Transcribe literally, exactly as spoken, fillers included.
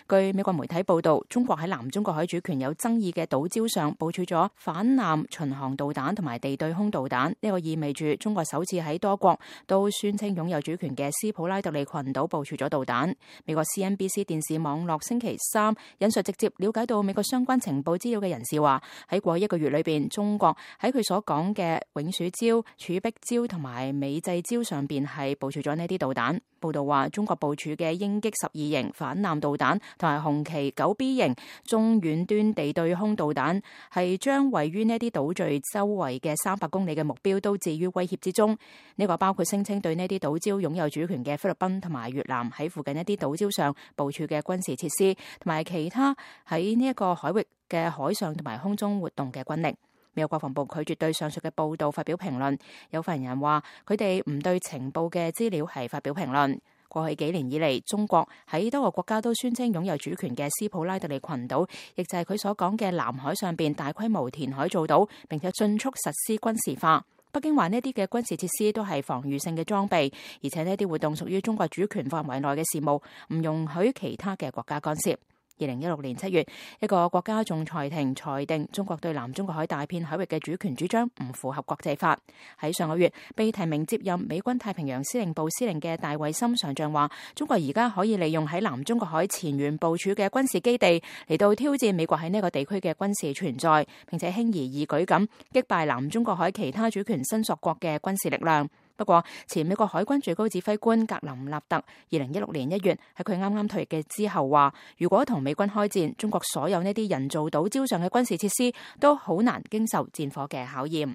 據美國媒體報道，中國喺南中國海主權有爭議嘅島礁上部署咗反艦巡航導彈同埋地對空導彈，呢個意味住中國首次喺多國都宣稱擁有主權嘅斯普拉特利群島部署咗導彈。美國 C N B C 電視網絡星期三引述直接了解到美國相關情報資料嘅人士話，喺過去一個月裏邊，中國喺佢所講嘅永暑礁、柱壁礁同埋美濟礁上邊係部署咗呢啲導彈。報道話，中國部署嘅鷹擊十二型反艦導彈同埋紅旗九 B 型中遠端地對空導彈，係將位於呢啲島嶼周圍嘅三百公里嘅目標都置於威脅之中。呢個包括聲稱對呢啲島礁擁有主權嘅菲律賓同埋越南喺附近一啲島礁上部署嘅軍事設施，同埋其他喺呢一個海域嘅海上同埋空中活動嘅軍力。美國國防部拒絕對上述嘅報道發表評論。有發言人話，佢哋唔對情報嘅資料係發表評論。過去幾年以嚟，中國喺多個國家都宣稱擁有主權嘅斯普拉特利群島，亦就係佢所講嘅南海上邊大規模填海造島，並且迅速實施軍事化。北京話呢啲嘅軍事設施都係防禦性嘅裝備，而且呢啲活動屬於中國主權範圍內嘅事務，唔容許其他嘅國家干涉。二零一六年七月，一個國家仲裁庭裁定中國對南中國海大片海域嘅主權主張唔符合國際法。喺上個月，被提名接任美軍太平洋司令部司令嘅戴維森上將話，中國而家可以利用喺南中國海前沿部署嘅軍事基地嚟到挑戰美國喺呢個地區嘅軍事存在，並且輕而易舉咁擊敗南中國海其他主權伸索國嘅軍事力量。不過，前美國海軍最高指揮官格林納特二零一六年一月喺佢啱啱退役嘅之後話，如果同美軍開戰，中國所有呢啲人造島礁上嘅軍事設施都好難經受戰火嘅考驗。